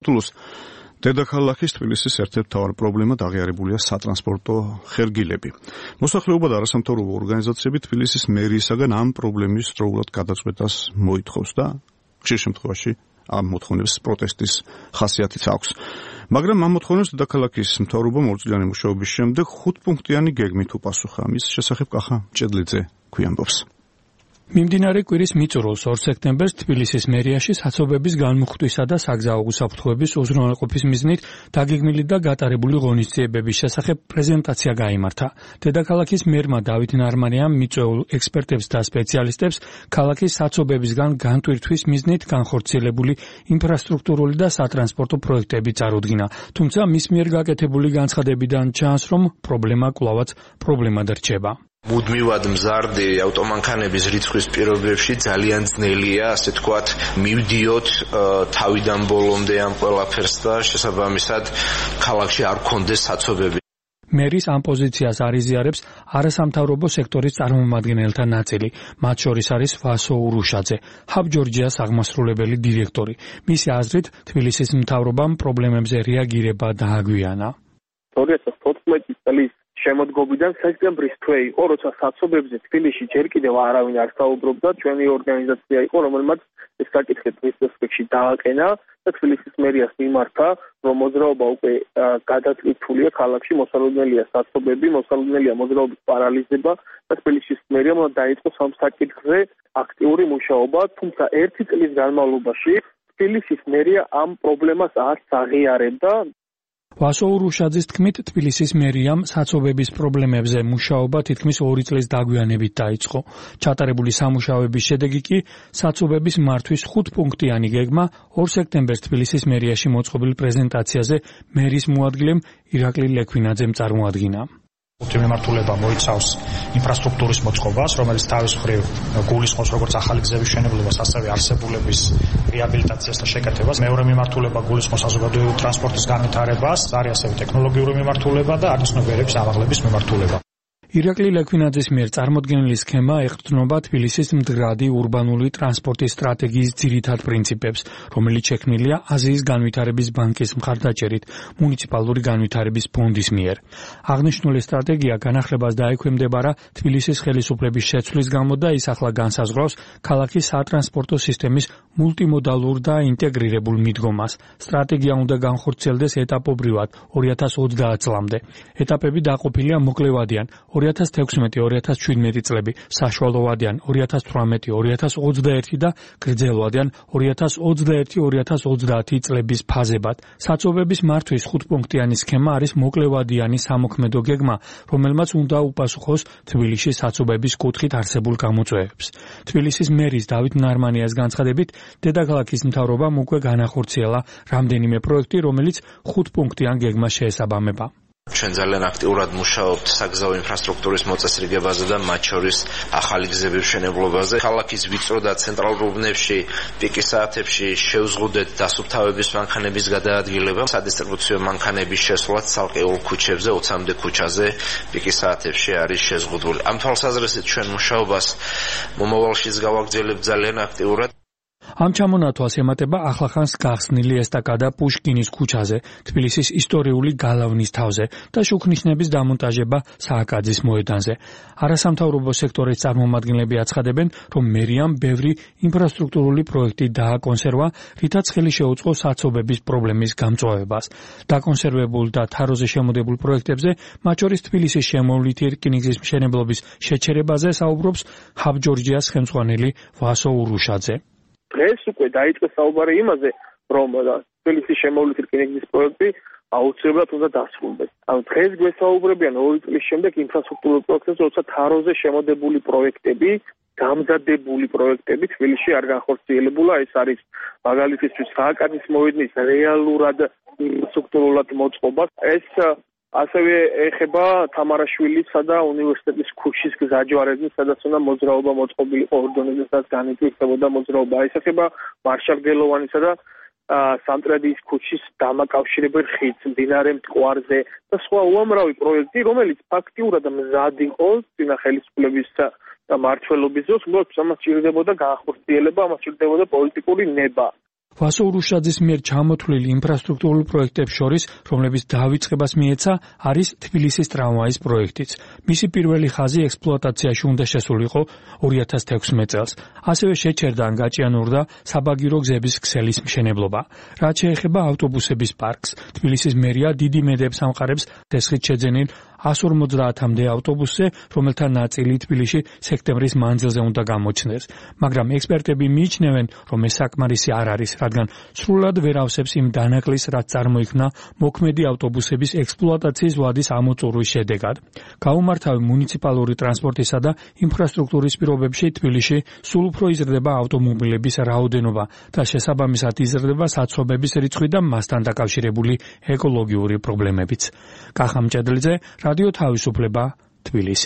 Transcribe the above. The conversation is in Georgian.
Plus დედაქალაქის თბილისის ერთ-ერთი მთავარი პრობლემა აღიარებულია სატრანსპორტო ხერგილები. მოსახლეობა და არასამთავრობო ორგანიზაციები თბილისის მერიისაგან ამ პრობლემის დროულად გადაწყვეტას მოითხოვს და ხშირ შემთხვევაში ამ მოთხოვნებს პროტესტის ხასიათიც აქვს. მაგრამ ამ მოთხოვნებს დედაქალაქის მთავრობა მორწილიანი მუშაობის შემდეგ 5-პუნქტიანი გეგმით უპასუხა. მის შესახებ კახა ჭედლიძე გვიამბობს. მიმდინარე კვირის მიწურულს 2 სექტემბერს თბილისის მერიაში საცობების განმუხტვისა და საგზაო უსაფრთხოების უზრუნველყოფის მიზნით დაგეგმილი და გატარებული ღონისძიებების შესახებ პრეზენტაცია გაიმართა. დედაქალაქის მერმა დავით ნარმანიამ მიწვეულ ექსპერტებს და სპეციალისტებს ქალაქის საცობებისგან განტვირთვის მიზნით განხორციელებული ინფრასტრუქტურული და სატრანსპორტო პროექტები წარუდგინა. თუმცა მის მიერ გაკეთებული განცხადებიდან ჩანს, რომ პრობლემა კვლავაც პრობლემად რჩება. მუდმივად მზარდი ავტომანქანების რიცხვის პირობებში ძალიან ძნელია, ასე თქვათ, მივდიოთ თავიდან ბოლომდე ამ ყველაფერს და შესაბამისად ქალაქში არ გქონდეს საცობები. მერის ამ პოზიციას არიზიარებს არასამთავრობო სექტორის წარმომადგენელთა ნაწილი, მათ შორის არის ვასო ურუშაძე, ჰაბ ჯორჯიას აღმასრულებელი დირექტორი. მისი აზრით, თბილისის მთავრობამ პრობლემებზე რეაგირება დააგვიანა. 2014 წლის შემოდგომიდან სექტემბრის თვე იყო, როცა საცობებზე თბილისში ჯერ კიდევ არავინ არ საუბრობდა, ჩვენი ორგანიზაცია იყო, რომელმაც ეს საკითხი დღის წესრიგში დააყენა და თბილისის მერიას მიმართა, რომ მოძრაობა უკვე გადაწყვეტილია ქალაქში, მოსალოდნელია საცობები, მოსალოდნელია მოძრაობის პარალიზება და თბილისის მერიამ დაიწყოს ამ საკითხზე აქტიური მუშაობა, თუმცა 1 წლის განმავლობაში თბილისის მერია ამ პრობლემას არც აღიარებდა. ვასო ურუშაძის თქმით, თბილისის მერიამ საცობების პრობლემებზე მუშაობა თითქმის 2 წლის დაგვიანებით დაიწყო. ჩატარებული სამუშაოების შედეგი კი საცობების მართვის 5-პუნქტიანი გეგმა 2 სექტემბერს თბილისის მერიაში მოწყობილ პრეზენტაციაზე მერის მოადგილემ ირაკლი ლექვინაძემ წარმოადგინა. მიმართულება მოიცავს ინფრასტრუქტურის მოწყობას, რომელიც თავის მხრივ გულისხმობს როგორც ახალი გზების მშენებლობას, ასევე არსებულების რეაბილიტაციას და შეკეთებას. მეორე მიმართულება გულისხმობს საზოგადოებრივი ტრანსპორტის განვითარებას, არის ასევე ტექნოლოგიური მიმართულება და არცნობიერების ამაღლების მიმართულება. ირაკლი ლექვინაძის მიერ წარმოდგენილი სქემა ეყრდნობა თბილისის მდგრადი ურბანული ტრანსპორტის სტრატეგიის ძირითად პრინციპებს, რომელიც შექმნილია აზიის განვითარების ბანკის მხარდაჭერით მუნიციპალური განვითარების ფონდის მიერ. აღნიშნული სტრატეგია განახლებას დაექვემდებარა თბილისის ხელისუფლების შეცვლის გამო და ის ახლა განსაზღვრავს ქალაქის სატრანსპორტო სისტემის მულტიმოდალურ და ინტეგრირებულ მიდგომას. სტრატეგია უნდა განხორციელდეს ეტაპობრივად 2030 წლამდე. ეტაპები დაყოფილია მოკლევადიან 2016-2017 წლები, საშუალოვადიან 2018-2021 და გრძელვადიან 2021-2030 წლების ფაზებად. საცობების მართვის 5-პუნქტიანი სქემა არის მოკლევადიანი სამოქმედო გეგმა, რომელმაც უნდა უპასუხოს თბილისის საცობების კუთხით არსებულ გამოწვევებს. თბილისის მერის დავით ნარმანიას განცხადებით, დედაქალაქის მთავრობამ უკვე განახორციელა რამდენიმე პროექტი, რომელიც 5-პუნქტიან გეგმას შეესაბამება. ჩვენ ძალიან აქტიურად მუშაობთ საგზაო ინფრასტრუქტურის მოწესრიგებაზე და მათ შორის ახალი გზების მშენებლობაზე. ქალაქის ვიწრო და ცენტრალურ უბნებში პიკის საათებში შევზღუდეთ დასუფთავების მანქანების გადაადგილება, სადისტრიბუციო მანქანების შესვლაც ცალკეულ ქუჩებზე 20-მდე ქუჩაზე პიკის საათებში არის შეზღუდული. ამ თვალსაზრისით ჩვენ მუშაობას მომავალშიც გავაგრძელებთ ძალიან აქტიურად. ამ ჩამონათვალს ემატება ახლახანს გახსნილი ესტაკადა პუშკინის ქუჩაზე, თბილისის ისტორიული გალავნის თავზე და შუქნიშნების დამონტაჟება სააკაძის მოედანზე. არასამთავრობო სექტორის წარმომადგენლები აცხადებენ, რომ მერიამ ბევრი ინფრასტრუქტურული პროექტი დააკონსერვა, რითაც ხელი შეუწყო საცობების პრობლემის გამწვავებას. დაკონსერვებულ და თაროზე შემოდებულ პროექტებზე, მათ შორის თბილისის შემოვლითი რკინიგზის მშენებლობის შეჩერებაზე საუბრობს ჰაბ ჯორჯიას ხელმძღვანელი ვასო ურუშაძე. დღეს უკვე დაიწყო საუბარი იმაზე, რომ თბილისის შემოვლითი რკინიგზის პროექტი აუცილებლად უნდა დასრულდეს. დღეს გვესაუბრებიან 2 წლის შემდეგ ინფრასტრუქტურულ პროექტებზე, როცა თაროზე შემოდებული პროექტები, გამზადებული პროექტები თბილისში არ განხორციელებულა. ეს არის მაგალითისთვის სააკაძის მოედნის რეალურად ინფრასტრუქტურულად მოწყობა. ეს ასევე ეხება თამარაშვილისა და უნივერსიტეტის ქუჩის გზაჯვარეზე, სადაც უნდა მოძრაობა მოწყობილიყო ორდონეზე, სადაც განვითარებოდა მოძრაობა. ეს ეხება მარშალ გელოვანისა და სამტრედიის ქუჩის დამაკავშირებელ ხიდს, მდინარე მტკვარზე და სხვა უამრავი პროექტი, რომელიც ფაქტიურად მზად იყო წინა ხელისუფლების მმართველობის დროს, უბრალოდ ამას სჭირდებოდა განხორციელება, ამას სჭირდებოდა პოლიტიკური ნება. ვასო ურუშაძის მიერ ჩამოთვლილ ინფრასტრუქტურულ პროექტებს შორის, რომლებიც დავიწყებას მიეცა, არის თბილისის ტრამვაის პროექტიც. მისი პირველი ხაზი ექსპლუატაციაში უნდა შესულიყო 2016 წელს. ასევე შეჩერდა ან გაჭიანურდა საბაგირო გზების ქსელის მშენებლობა. რაც შეეხება ავტობუსების პარკს, თბილისის მერია დიდი მედებს ამყარებს დასხით შეძენილ 150-მდე ავტობუსზე, რომელთა ნაწილი თბილისში სექტემბრის მანძილზე უნდა გამოჩნდეს. მაგრამ ექსპერტები მიიჩნევენ, რომ ეს საკმარისი არ არის, რადგან სრულად ვერ ავსებს იმ დანაკლისს, რაც წარმოიქმნა მოქმედი ავტობუსების ექსპლუატაციის ვადის ამოწურვის შედეგად. გაუმართავი მუნიციპალური ტრანსპორტისა და ინფრასტრუქტურის პირობებში თბილისში სულ უფრო იზრდება ავტომობილების რაოდენობა და შესაბამისად იზრდება საცობების რიცხვი და მასთან დაკავშირებული ეკოლოგიური პრობლემებიც. კახა მჭედლიძე, რადიო თავისუფლება, თბილისი.